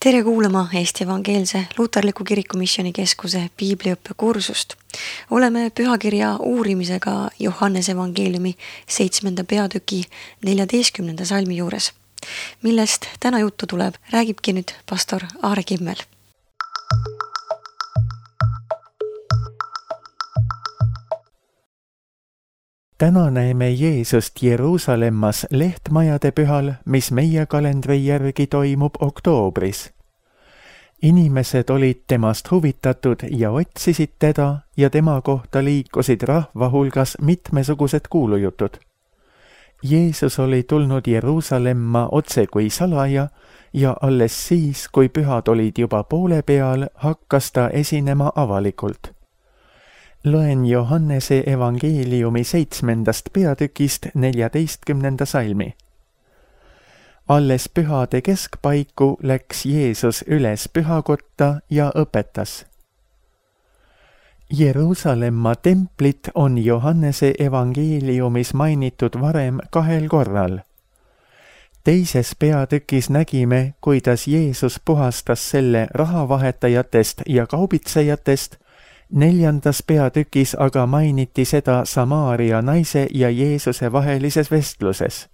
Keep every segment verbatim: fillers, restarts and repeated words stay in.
Tere kuulama Eesti Evangeelse Luterliku Kirikumisjoni Keskuse piibliõppe kursust. Oleme pühakirja uurimisega Johannese evangeeliumi seitsmenda peatüki neljateistkümnenda salmi juures. Millest täna juttu tuleb, räägibki nüüd pastor Aare Kimmel. Täna näeme Jeesust Jeruusalemmas lehtmajade pühal, mis meie kalendri järgi toimub oktoobris. Inimesed olid temast huvitatud ja otsisid teda ja tema kohta liikusid rahva hulgas mitmesugused kuulujutud. Jeesus oli tulnud Jeruusalemma otse kui salaja ja alles siis, kui pühad olid juba poole peal, hakkas ta esinema avalikult. Loen Johannese evangeeliumi seitsmendast peatükist neljateistkümnenda salmi. Alles pühade keskpaiku läks Jeesus üles pühakotta ja õpetas. Jeruusalemma templit on Johannese evangeeliumis mainitud varem kahel korral. Teises peatükis nägime, kuidas Jeesus puhastas selle rahavahetajatest ja kaubitsejatest. Neljandas peatükis aga mainiti seda Samaaria naise ja Jeesuse vahelises vestluses.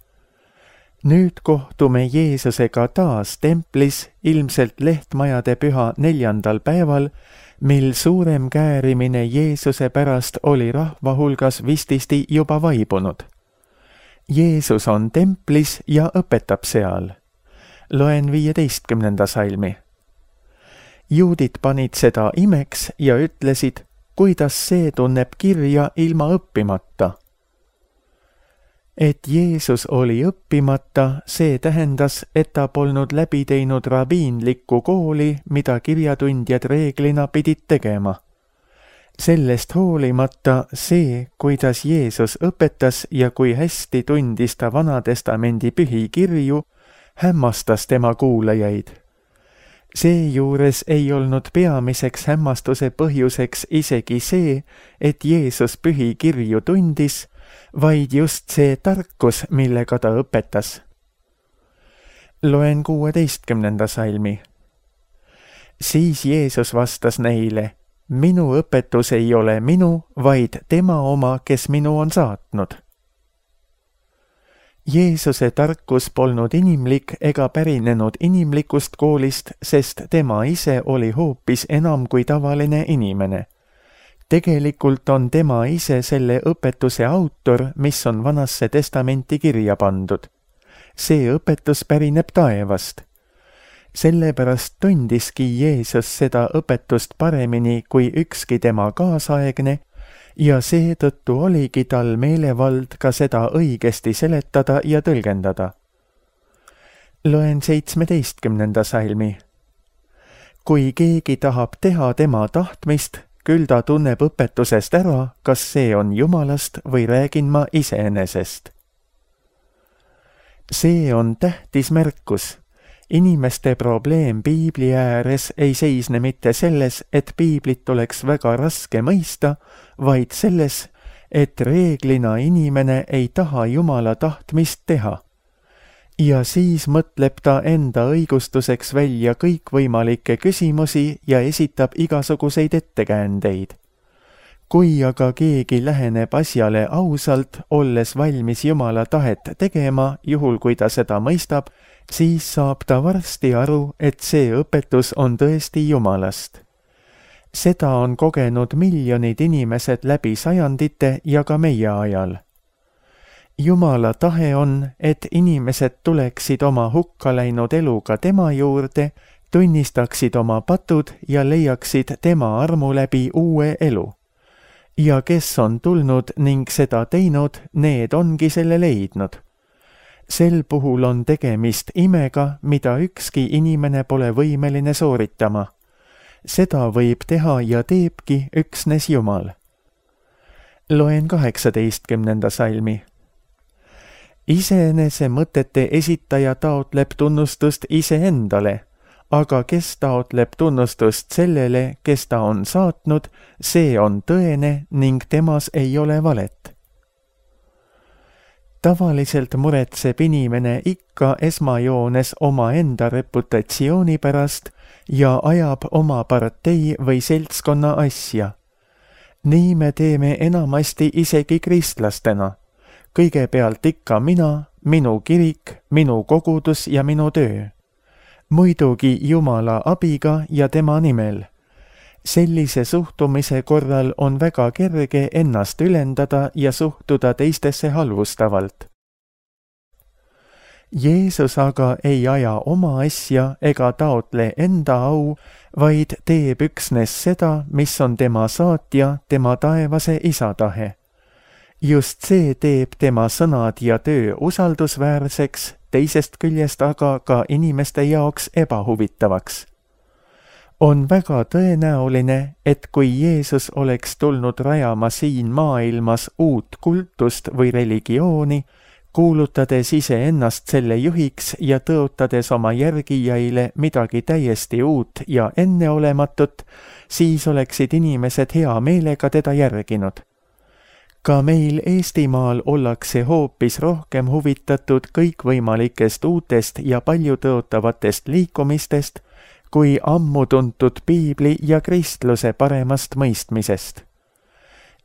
Nüüd kohtume Jeesusega taas templis, ilmselt lehtmajade püha neljandal päeval, mil suurem käärimine Jeesuse pärast oli rahva hulgas vististi juba vaibunud. Jeesus on templis ja õpetab seal. Loen viieteistkümnenda salmi. Juudid panid seda imeks ja ütlesid, kuidas see tunneb kirja ilma õppimata. Et Jeesus oli õppimata, see tähendas, et ta polnud läbi teinud rabiinlikku kooli, mida kirjatundjad reeglina pidid tegema. Sellest hoolimata see, kuidas Jeesus õpetas ja kui hästi tundis ta Vanatestamendi pühi kirju, hämmastas tema kuulajaid. Seejuures ei olnud peamiseks hämmastuse põhjuseks isegi see, et Jeesus pühi kirju tundis, vaid just see tarkus, millega ta õpetas. Loen kuueteistkümnenda salmi. Siis Jeesus vastas neile, minu õpetus ei ole minu, vaid tema oma, kes minu on saatnud. Jeesuse tarkus polnud inimlik ega pärinenud inimlikust koolist, sest tema ise oli hoopis enam kui tavaline inimene. Tegelikult on tema ise selle õpetuse autor, mis on Vanasse testamenti kirja pandud. See õpetus pärineb taevast. Sellepärast tundiski Jeesus seda õpetust paremini kui ükski tema kaasaegne, ja seetõttu oligi tal meelevald ka seda õigesti seletada ja tõlgendada. Loen seitsmeteistkümnenda salmi. Kui keegi tahab teha tema tahtmist, küll ta tunneb õpetusest ära, kas see on Jumalast või räägin ma iseenesest. See on tähtis märkus. Inimeste probleem piibli ääres ei seisne mitte selles, et piiblit oleks väga raske mõista, vaid selles, et reeglina inimene ei taha Jumala tahtmist teha. Ja siis mõtleb ta enda õigustuseks välja kõikvõimalikke küsimusi ja esitab igasuguseid ettekäändeid. Kui aga keegi läheneb asjale ausalt, olles valmis Jumala tahet tegema, juhul kui ta seda mõistab, siis saab ta varsti aru, et see õpetus on tõesti Jumalast. Seda on kogenud miljonid inimesed läbi sajandite ja ka meie ajal. Jumala tahe on, et inimesed tuleksid oma hukka läinud eluga tema juurde, tunnistaksid oma patud ja leiaksid tema armu läbi uue elu. Ja kes on tulnud ning seda teinud, need ongi selle leidnud. Sel puhul on tegemist imega, mida ükski inimene pole võimeline sooritama. Seda võib teha ja teebki üksnes Jumal. Loen kaheksateistkümnenda salmi. Iseenese mõtete esitaja taotleb tunnustust iseendale, aga kes taotleb tunnustust sellele, kes ta on saatnud, see on tõene ning temas ei ole valet. tavaliselt muretseb inimene ikka esmajoones omaenda reputatsiooni pärast ja ajab oma partei või seltskonna asja. Nii me teeme enamasti isegi kristlastena. Kõigepealt ikka mina, minu kirik, minu kogudus ja minu töö. Muidugi Jumala abiga ja tema nimel. Sellise suhtumise korral on väga kerge ennast ülendada ja suhtuda teistesse halvustavalt. Jeesus aga ei aja oma asja ega taotle enda au, vaid teeb üksnes seda, mis on tema saatja, tema taevase isa tahe. Just see teeb tema sõnad ja töö usaldusväärseks, teisest küljest aga ka inimeste jaoks ebahuvitavaks. On väga tõenäoline, et kui Jeesus oleks tulnud rajama siin maailmas uut kultust või religiooni, kuulutades iseennast selle juhiks ja tõotades oma järgijaile midagi täiesti uut ja enneolematut, siis oleksid inimesed hea meelega teda järginud. Ka meil Eestimaal ollakse hoopis rohkem huvitatud kõikvõimalikest uutest ja paljutõotavatest liikumistest, kui ammu tuntud piibli ja kristluse paremast mõistmisest.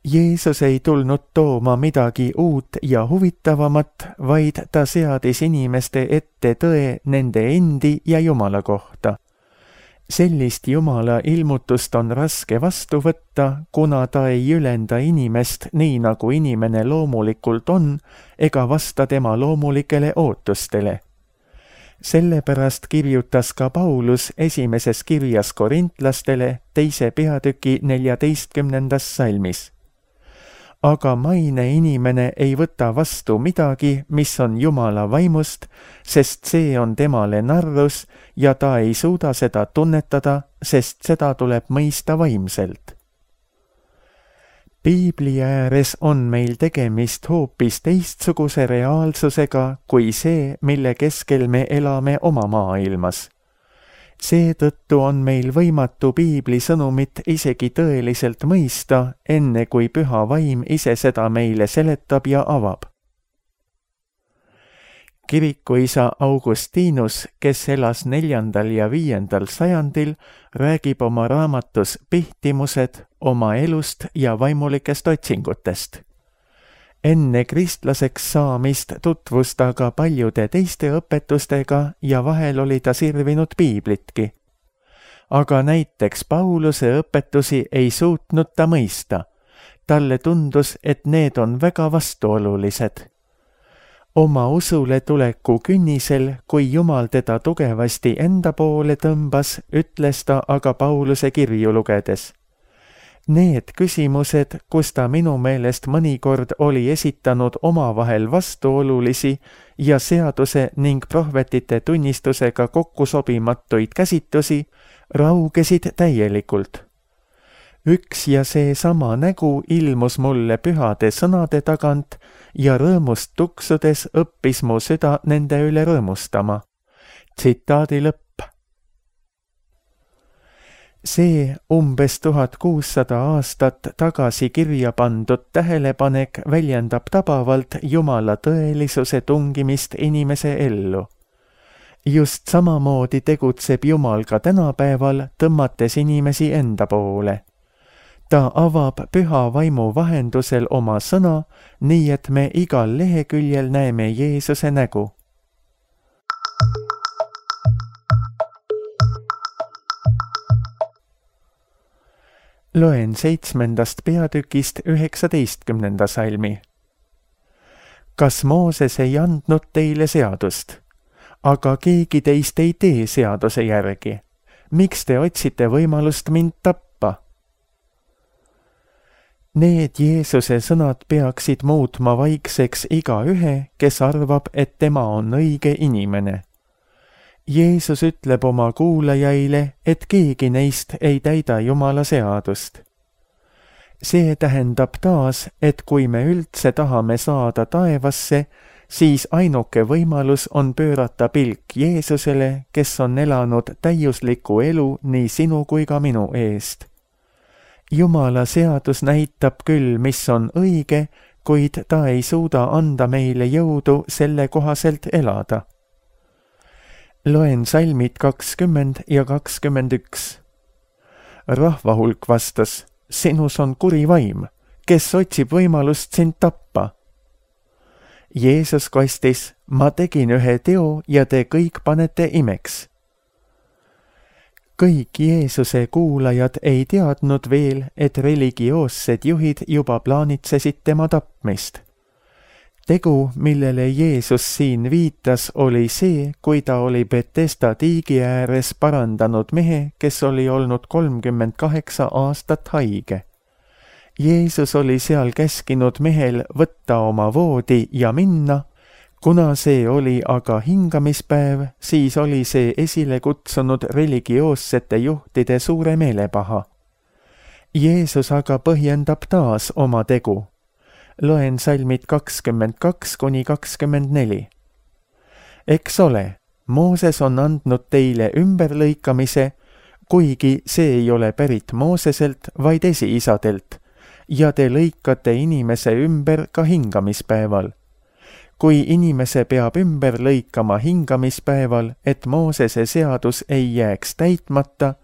Jeesus ei tulnud tooma midagi uut ja huvitavamat, vaid ta seadis inimeste ette tõe nende endi ja Jumala kohta. Sellist Jumala ilmutust on raske vastu võtta, kuna ta ei ülenda inimest nii, nagu inimene loomulikult on, ega vasta tema loomulikele ootustele. Sellepärast kirjutas ka Paulus esimeses kirjas korintlastele teise peatüki neljateistkümnendas salmis. Aga maine inimene ei võta vastu midagi, mis on Jumala vaimust, sest see on temale narrus ja ta ei suuda seda tunnetada, sest seda tuleb mõista vaimselt. Piibli ääres on meil tegemist hoopis teistsuguse reaalsusega kui see, mille keskel me elame oma maailmas. Seetõttu on meil võimatu piibli sõnumit isegi tõeliselt mõista, enne kui püha vaim ise seda meile seletab ja avab. Kirikuisa Augustinus, kes elas neljandal ja viiendal sajandil, räägib oma raamatus Pihtimused oma elust ja vaimulikest otsingutest. Enne kristlaseks saamist tutvus ta ka paljude teiste õpetustega ja vahel oli ta sirvinud piiblitki. Aga näiteks Pauluse õpetusi ei suutnud ta mõista. Talle tundus, et need on väga vastuolulised. Oma usule tuleku künnisel, kui Jumal teda tugevasti enda poole tõmbas, ütles ta aga Pauluse kirju lugedes. Need küsimused, kus ta minu meelest mõnikord oli esitanud omavahel vastuolulisi ja seaduse ning prohvetite tunnistusega kokkusobimatuid käsitlusi, raugesid täielikult. Üks ja seesama nägu ilmus mulle pühade sõnade tagant ja rõõmust tuksudes õppis mu süda nende üle rõõmustama. Tsitaadi lõpp. See umbes tuhat kuussada aastat tagasi kirja pandud tähelepanek väljendab tabavalt Jumala tõelisuse tungimist inimese ellu. Just samamoodi tegutseb Jumal ka tänapäeval, tõmmates inimesi enda poole. Ta avab püha vaimu vahendusel oma sõna, nii et me igal leheküljel näeme Jeesuse nägu. Loen seitsmendast peatükist üheksateistkümnenda salmi. Kas Mooses ei andnud teile seadust? Aga keegi teist ei tee seaduse järgi. Miks te otsite võimalust mind tappa? Need Jeesuse sõnad peaksid muutma vaikseks igaühe, kes arvab, et tema on õige inimene. Jeesus ütleb oma kuulajaile, et keegi neist ei täida Jumala seadust. See tähendab taas, et kui me üldse tahame saada taevasse, siis ainuke võimalus on pöörata pilk Jeesusele, kes on elanud täiuslikku elu nii sinu kui ka minu eest. Jumala seadus näitab küll, mis on õige, kuid ta ei suuda anda meile jõudu selle kohaselt elada. Loen salmid kakskümmend ja kakskümmend üks. Rahvahulk vastas, sinus on kuri vaim, kes otsib võimalust sind tappa. Jeesus kostis, ma tegin ühe teo ja te kõik panete imeks. Kõik Jeesuse kuulajad ei teadnud veel, et religioossed juhid juba plaanitsesid tema tapmist. Tegu, millele Jeesus siin viitas, oli see, kui ta oli Betesda tiigi ääres parandanud mehe, kes oli olnud kolmkümmend kaheksa aastat haige. Jeesus oli seal käskinud mehel võtta oma voodi ja minna. Kuna see oli aga hingamispäev, siis oli see esile kutsunud religioossete juhtide suure meelepaha. Jeesus aga põhjendab taas oma tegu. Loen salmid kakskümmend kaks kuni kakskümmend neli. Eks ole, Mooses on andnud teile ümberlõikamise, kuigi see ei ole pärit Mooseselt, vaid esiisadelt, ja te lõikate inimese ümber ka hingamispäeval. Kui inimese peab ümber lõikama hingamispäeval, et Moosese seadus ei jääks täitmata,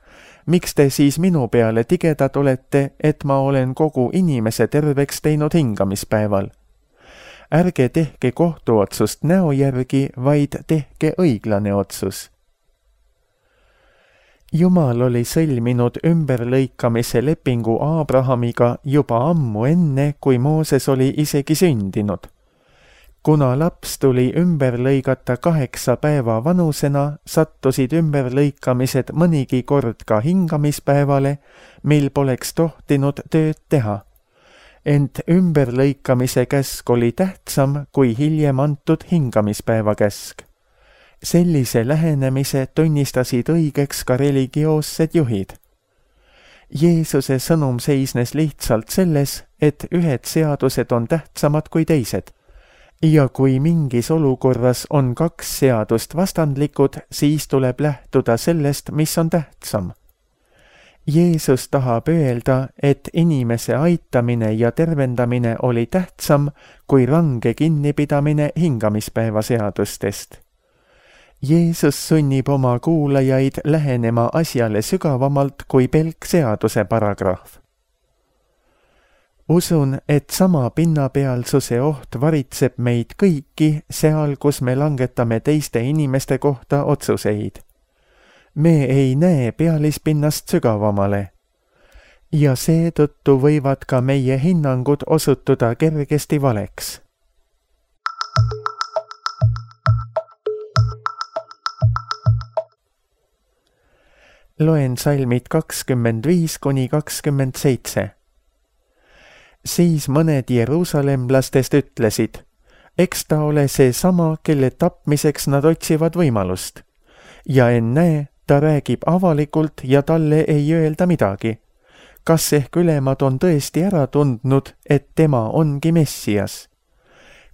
miks te siis minu peale tigedad olete, et ma olen kogu inimese terveks teinud hingamispäeval? Ärge tehke kohtuotsust näo järgi, vaid tehke õiglane otsus. Jumal oli sõlminud ümberlõikamise lepingu Abrahamiga juba ammu enne, kui Mooses oli isegi sündinud. Kuna laps tuli ümber lõigata kaheksa päeva vanusena, sattusid ümberlõikamised mõnigi kord ka hingamispäevale, mil poleks tohtinud tööd teha. Ent ümberlõikamise käsk oli tähtsam kui hiljem antud hingamispäeva käsk. Sellise lähenemise tunnistasid õigeks ka religioossed juhid. Jeesuse sõnum seisnes lihtsalt selles, et ühed seadused on tähtsamad kui teised. Ja kui mingis olukorras on kaks seadust vastandlikud, siis tuleb lähtuda sellest, mis on tähtsam. Jeesus tahab öelda, et inimese aitamine ja tervendamine oli tähtsam kui range kinnipidamine hingamispäeva seadustest. Jeesus sunnib oma kuulajaid lähenema asjale sügavamalt kui pelk seaduse paragrahv. Usun, et sama pinnapealsuse oht varitseb meid kõiki seal, kus me langetame teiste inimeste kohta otsuseid. Me ei näe pealispinnast sügavamale. Ja seetõttu võivad ka meie hinnangud osutuda kergesti valeks. Loen salmid kakskümmend viis kuni kakskümmend seitse. Siis mõned jeruusalemlastest ütlesid, eks ta ole see sama, kelle tapmiseks nad otsivad võimalust. Ja ennäe, ta räägib avalikult ja talle ei öelda midagi. Kas ehk ülemad on tõesti ära tundnud, et tema ongi Messias?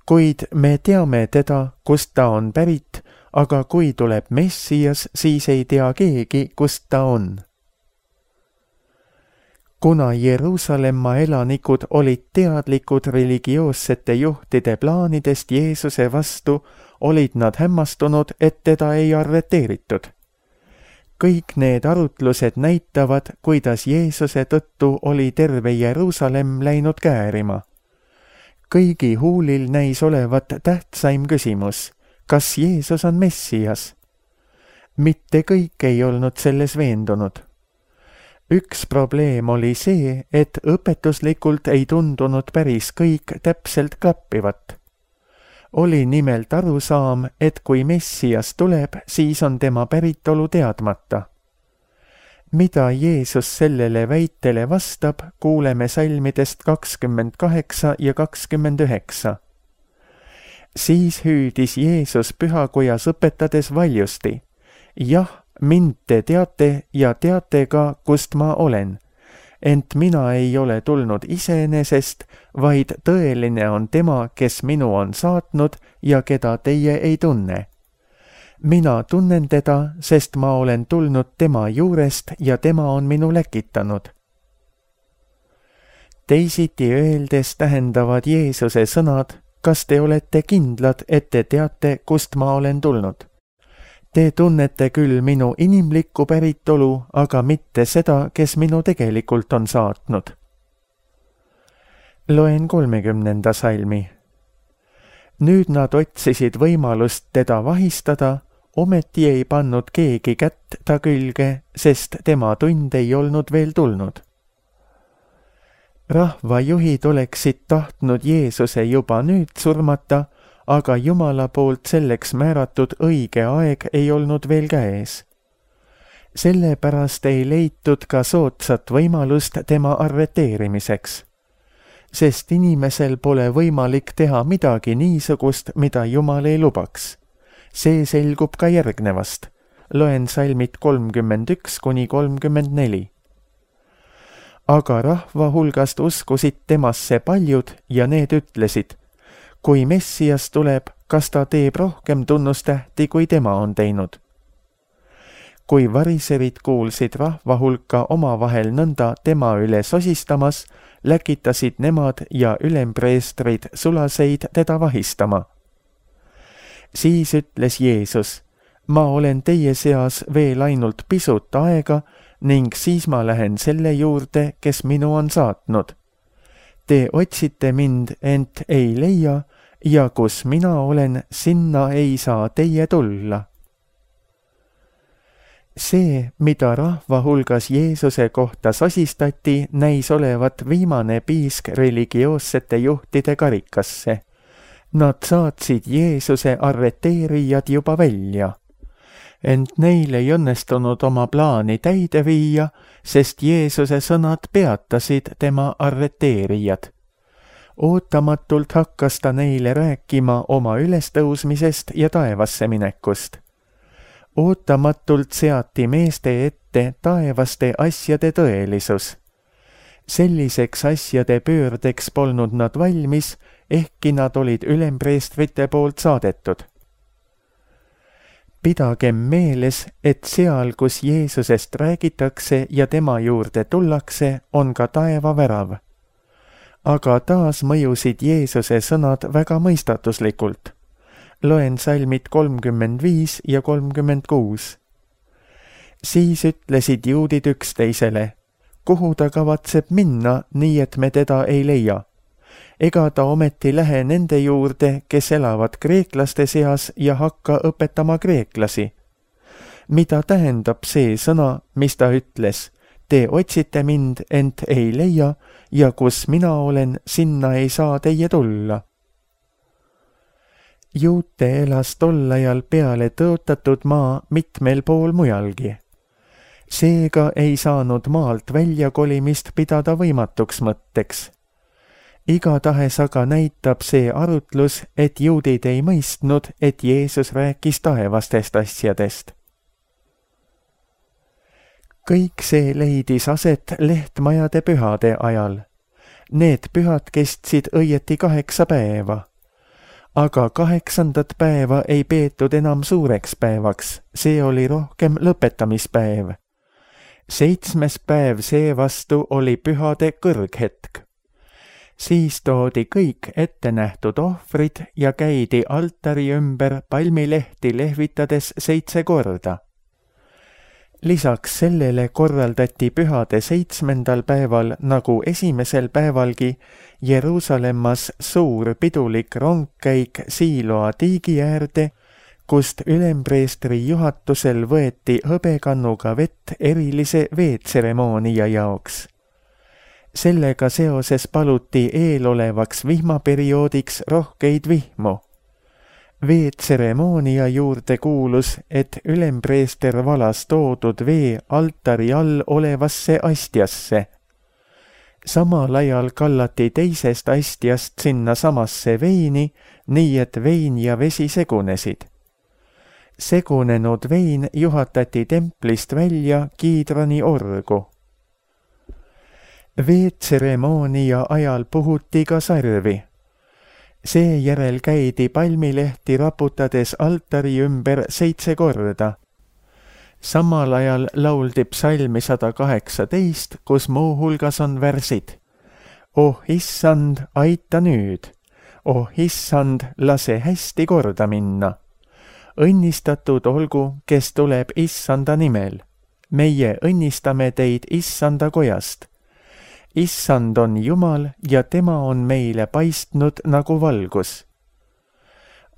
Kuid me teame teda, kust ta on pärit, aga kui tuleb Messias, siis ei tea keegi, kust ta on. Kuna Jeruusalemma elanikud olid teadlikud religioossete juhtide plaanidest Jeesuse vastu, olid nad hämmastunud, et teda ei arreteeritud. Kõik need arutlused näitavad, kuidas Jeesuse tõttu oli terve Jeruusalemm läinud käärima. Kõigi huulil näis olevat tähtsaim küsimus, kas Jeesus on Messias? Mitte kõik ei olnud selles veendunud. Üks probleem oli see, et õpetuslikult ei tundunud päris kõik täpselt klappivat. Oli nimelt arusaam, et kui Messias tuleb, siis on tema päritolu teadmata. Mida Jeesus sellele väitele vastab, kuuleme salmidest kakskümmend kaheksa ja kakskümmend üheksa. Siis hüüdis Jeesus pühakojas õpetades valjusti. Jah, mind te teate ja teate ka, kust ma olen. Ent mina ei ole tulnud iseenesest, vaid tõeline on tema, kes minu on saatnud ja keda teie ei tunne. Mina tunnen teda, sest ma olen tulnud tema juurest ja tema on minu läkitanud. teisiti öeldes tähendavad Jeesuse sõnad: kas te olete kindlad, et te teate, kust ma olen tulnud? Te tunnete küll minu inimlikku päritolu, aga mitte seda, kes minu tegelikult on saatnud. Loen kolmekümnenda salmi. Nüüd nad otsisid võimalust teda vahistada, ometi ei pannud keegi kätt ta külge, sest tema tund ei olnud veel tulnud. Rahvajuhid oleksid tahtnud Jeesuse juba nüüd surmata, aga Jumala poolt selleks määratud õige aeg ei olnud veel käes. Sellepärast ei leitud ka soodsat võimalust tema arreteerimiseks, sest inimesel pole võimalik teha midagi niisugust, mida Jumal ei lubaks. See selgub ka järgnevast. Loen salmid kolmkümmend üks kuni kolmkümmend neli. Aga rahva hulgast uskusid temasse paljud ja need ütlesid: kui Messias tuleb, kas ta teeb rohkem tunnustähti, kui tema on teinud? Kui variserid kuulsid rahva hulka omavahel nõnda tema üle sosistamas, läkitasid nemad ja ülempreestrid sulaseid teda vahistama. Siis ütles Jeesus: ma olen teie seas veel ainult pisut aega ning siis ma lähen selle juurde, kes minu on saatnud. Te otsite mind, ent ei leia, ja kus mina olen, sinna ei saa teie tulla. See, mida rahva hulgas Jeesuse kohta sosistati, näis olevat viimane piisk religioossete juhtide karikasse. Nad saatsid Jeesuse arreteerijad juba välja. Ent neil ei õnnestunud oma plaani täide viia, sest Jeesuse sõnad peatasid tema arreteerijad. Ootamatult hakkas ta neile rääkima oma ülestõusmisest ja taevasse minekust. Ootamatult seati meeste ette taevaste asjade tõelisus. Selliseks asjade pöördeks polnud nad valmis, ehkki nad olid ülempreestrite poolt saadetud. Pidagem meeles, et seal, kus Jeesusest räägitakse ja tema juurde tullakse, on ka taevavärav. Aga taas mõjusid Jeesuse sõnad väga mõistatuslikult. Loen salmid kolmkümmend viis ja kolmkümmend kuus. Siis ütlesid juudid üksteisele: kuhu ta kavatseb minna, nii et me teda ei leia? Ega ta ometi lähe nende juurde, kes elavad kreeklaste seas ja hakka õpetama kreeklasi. Mida tähendab see sõna, mis ta ütles: te otsite mind, ent ei leia, ja kus mina olen, sinna ei saa teie tulla. Juute elas tol ajal peale tõotatud maa mitmel pool mujalgi. Seega ei saanud maalt väljakolimist pidada võimatuks mõtteks. Igatahes aga näitab see arutlus, et juudid ei mõistnud, et Jeesus rääkis taevastest asjadest. Kõik see leidis aset lehtmajade pühade ajal. Need pühad kestsid õieti kaheksa päeva. Aga kaheksandat päeva ei peetud enam suureks päevaks, see oli rohkem lõpetamispäev. Seitsmes päev seevastu oli pühade kõrghetk. Siis toodi kõik ettenähtud ohvrid ja käidi altari ümber palmilehti lehvitades seitse korda. Lisaks sellele korraldati pühade seitsmendal päeval, nagu esimesel päevalgi, Jeruusalemmas suur pidulik rongkäik Siiloa tiigi äärde, kust ülempreestri juhatusel võeti hõbekannuga vett erilise veetseremoonia jaoks. Sellega seoses paluti eelolevaks vihmaperioodiks rohkeid vihmu. Veetseremoonia juurde kuulus, et ülempreester valas toodud vee altari all olevasse astjasse. Samal ajal kallati teisest astjast sinna samasse veini, nii et vein ja vesi segunesid. Segunenud vein juhatati templist välja Kiidrani orgu. Veetseremoonia ajal puhuti ka sarvi. Seejärel käidi palmilehti raputades altari ümber seitse korda. Samal ajal lauldi psalmi sada kaheksateist, kus muu hulgas on värsid. oh issand, aita nüüd. oh issand, lase hästi korda minna. õnnistatud olgu, kes tuleb issanda nimel. meie õnnistame teid issanda kojast. issand on Jumal ja tema on meile paistnud nagu valgus.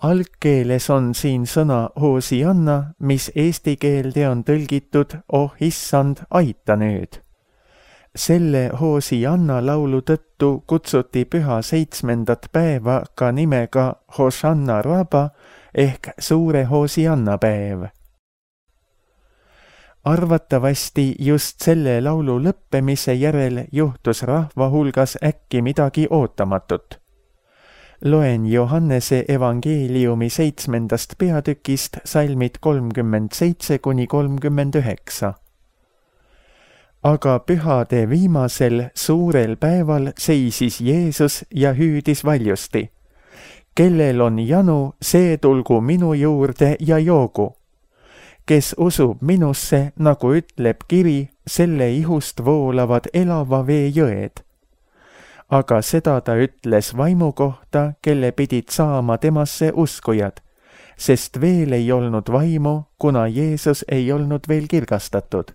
Algkeeles on siin sõna Hosianna, mis eesti keelde on tõlgitud oh issand, aita nüüd. selle Hosianna laulu tõttu kutsuti püha seitsmendat päeva ka nimega Hosanna Rabba ehk suure Hosianna päev. Arvatavasti just selle laulu lõppemise järel juhtus rahva hulgas äkki midagi ootamatut. Loen Johannese evangeeliumi seitsmendast peatükist salmid kolmkümmend seitse kuni kolmkümmend üheksa. Aga pühade viimasel suurel päeval seisis Jeesus ja hüüdis valjusti. Kellel on janu, see tulgu minu juurde ja joogu. Kes usub minusse, nagu ütleb kiri, selle ihust voolavad elava vee jõed. Aga seda ta ütles vaimu kohta, kelle pidid saama temasse uskujad, sest veel ei olnud vaimu, kuna Jeesus ei olnud veel kirgastatud.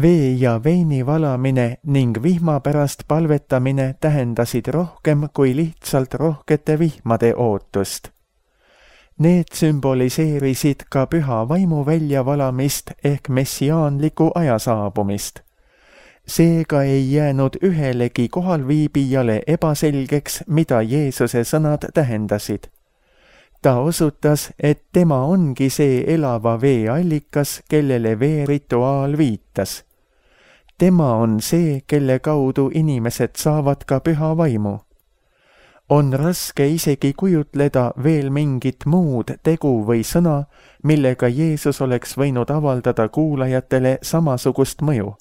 Vee ja veini valamine ning vihma pärast palvetamine tähendasid rohkem kui lihtsalt rohkete vihmade ootust. Need sümboliseerisid ka püha vaimu väljavalamist ehk messiaanliku aja saabumist. Seega ei jäänud ühelegi kohalviibijale ebaselgeks, mida Jeesuse sõnad tähendasid. Ta osutas, et tema ongi see elava vee allikas, kellele veerituaal viitas. Tema on see, kelle kaudu inimesed saavad ka püha vaimu. On raske isegi kujutleda veel mingit muud tegu või sõna, millega Jeesus oleks võinud avaldada kuulajatele samasugust mõju.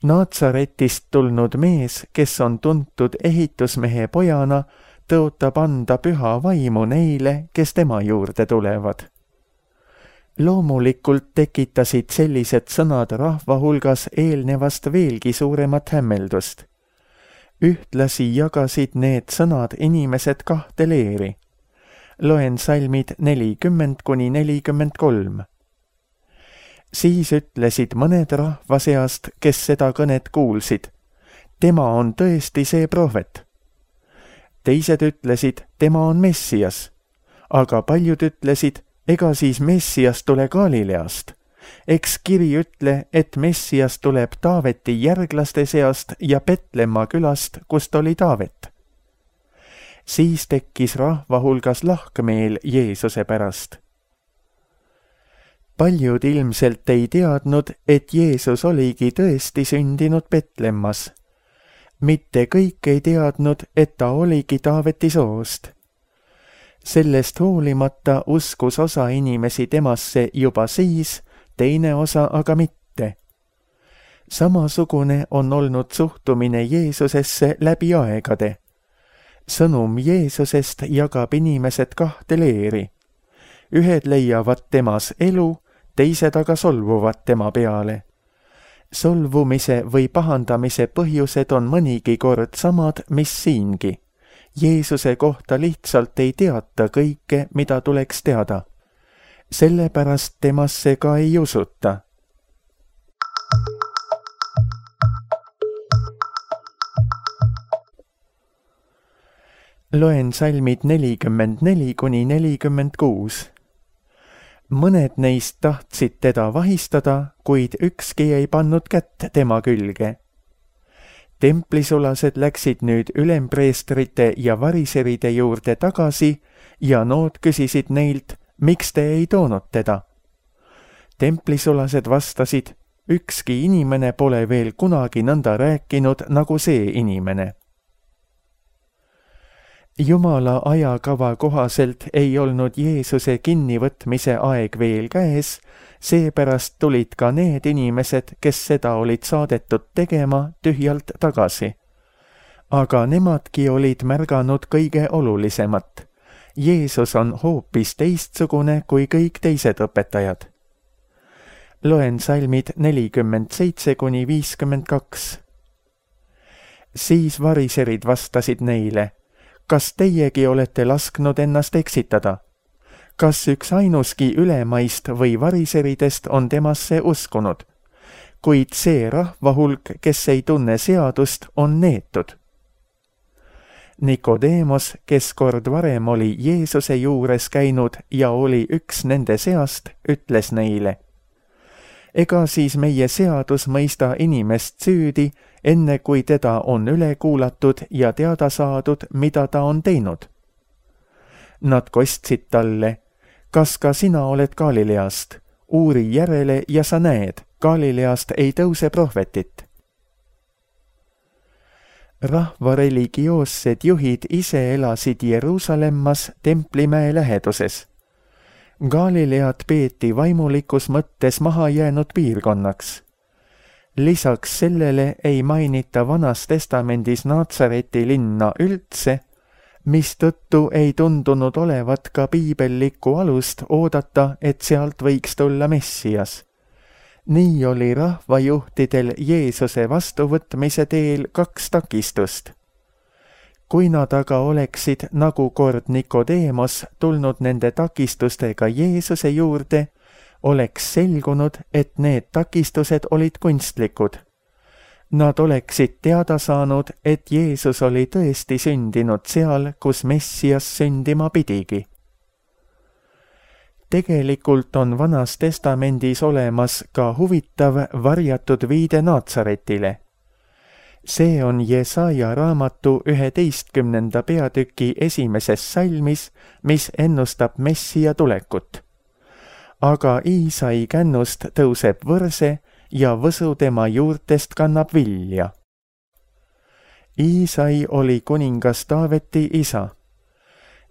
Naatsaretist tulnud mees, kes on tuntud ehitusmehe pojana, tõotab anda püha vaimu neile, kes tema juurde tulevad. Loomulikult tekitasid sellised sõnad rahva hulgas eelnevast veelgi suuremat hämmeldust. Ühtlasi jagasid need sõnad inimesed kahte leeri. Loen salmid nelikümmend kuni nelikümmend kolm. Siis ütlesid mõned rahva seast, kes seda kõnet kuulsid. Tema on tõesti see prohvet. Teised ütlesid, tema on Messias. Aga paljud ütlesid, ega siis Messias tule Galileast. Eks kiri ütle, et Messias tuleb Taaveti järglaste seast ja Petlemma külast, kust oli Taavet. Siis tekkis rahva hulgas lahkmeel Jeesuse pärast. Paljud ilmselt ei teadnud, et Jeesus oligi tõesti sündinud Petlemmas. Mitte kõik ei teadnud, et ta oligi Taaveti soost. Sellest hoolimata uskus osa inimesi temasse juba siis, teine osa aga mitte. Samasugune on olnud suhtumine Jeesusesse läbi aegade. Sõnum Jeesusest jagab inimesed kahte leeri. Ühed leiavad temas elu, teised aga solvuvad tema peale. Solvumise või pahandamise põhjused on mõnigi kord samad, mis siingi. Jeesuse kohta lihtsalt ei teata kõike, mida tuleks teada. Sellepärast temasse ka ei usuta. Loen salmid nelikümmend neli kuni nelikümmend kuus. Mõned neist tahtsid teda vahistada, kuid ükski ei pannud kätt tema külge. Templisulased läksid nüüd ülempreestrite ja variseride juurde tagasi ja nood küsisid neilt, miks te ei toonud teda. Templisulased vastasid, ükski inimene pole veel kunagi nõnda rääkinud nagu see inimene. Jumala ajakava kohaselt ei olnud Jeesuse kinnivõtmise aeg veel käes, seepärast tulid ka need inimesed, kes seda olid saadetud tegema, tühjalt tagasi. Aga nemadki olid märganud kõige olulisemat. Jeesus on hoopis teistsugune kui kõik teised õpetajad. Loen salmid nelikümmend seitse kuni viiskümmend kaks. siis variserid vastasid neile: kas teiegi olete lasknud ennast eksitada? Kas üks ainuski ülemaist või variseridest on temasse uskunud? Kuid see rahvahulk, kes ei tunne seadust, on neetud. Nikodeemos, kes kord varem oli Jeesuse juures käinud ja oli üks nende seast, ütles neile: ega siis meie seadus mõista inimest süüdi, enne kui teda on üle kuulatud ja teada saadud, mida ta on teinud? Nad kostsid talle: kas ka sina oled Galileast? Uuri järele ja sa näed, Galileast ei tõuse prohvetit. Rahva religioossed juhid ise elasid Jeruusalemmas Templimäe läheduses. Galilead peeti vaimulikus mõttes mahajäänud piirkonnaks. Lisaks sellele ei mainita Vanas Testamendis Naatsareti linna üldse, mistõttu ei tundunud olevat ka piibellikku alust oodata, et sealt võiks tulla Messias. Nii oli rahvajuhtidel Jeesuse vastuvõtmise teel kaks takistust. Kui nad aga oleksid, nagu kord Nikodeemos, tulnud nende takistustega Jeesuse juurde, oleks selgunud, et need takistused olid kunstlikud. Nad oleksid teada saanud, et Jeesus oli tõesti sündinud seal, kus Messias sündima pidigi. Tegelikult on Vanas Testamendis olemas ka huvitav varjatud viide Naatsaretile. See on Jesaja raamatu üheteistkümnenda peatüki esimeses salmis, mis ennustab Messia tulekut. Aga Iisai kännust tõuseb võrse ja võsu tema juurtest kannab vilja. Iisai oli kuningas Taaveti isa.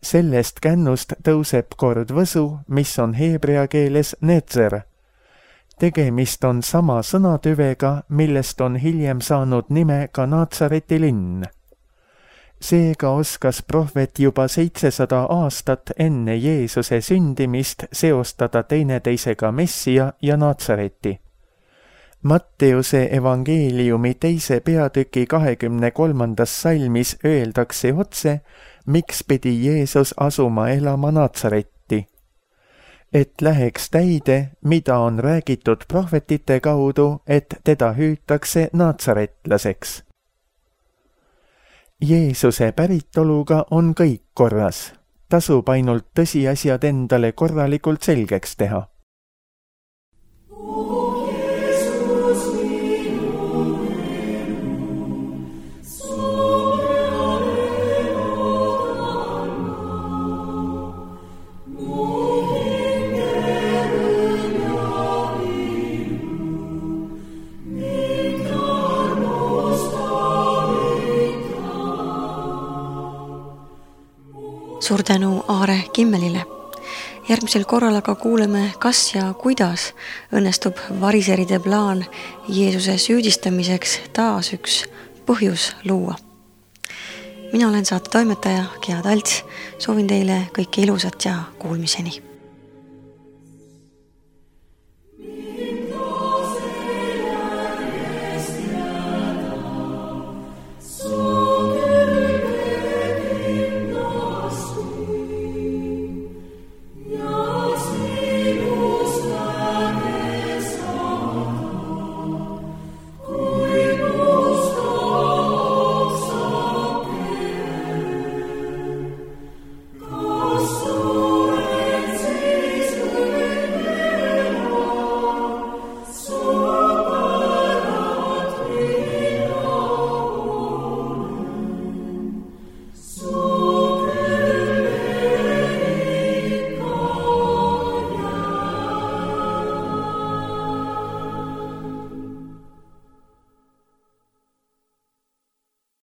Sellest kännust tõuseb kord võsu, mis on heebrea keeles netzer. Tegemist on sama sõnatüvega, millest on hiljem saanud nime ka Naatsareti linn. Seega oskas prohvet juba seitsesada aastat enne Jeesuse sündimist seostada teineteisega Messia ja Naatsareti. Matteuse evangeeliumi teise peatüki kahekümne kolmandas salmis öeldakse otse, miks pidi Jeesus asuma elama Naatsaretti. Et läheks täide, mida on räägitud prohvetite kaudu, et teda hüütakse naatsaretlaseks. Jeesuse päritoluga on kõik korras. Tasub ainult tõsiasjad endale korralikult selgeks teha. Suur tänu Aare Kimmelile. Järgmisel korral aga kuuleme, kas ja kuidas õnnestub variseride plaan Jeesuse süüdistamiseks taas üks põhjus luua. Mina olen saate toimetaja Gea Talts. Soovin teile kõike ilusat ja kuulmiseni.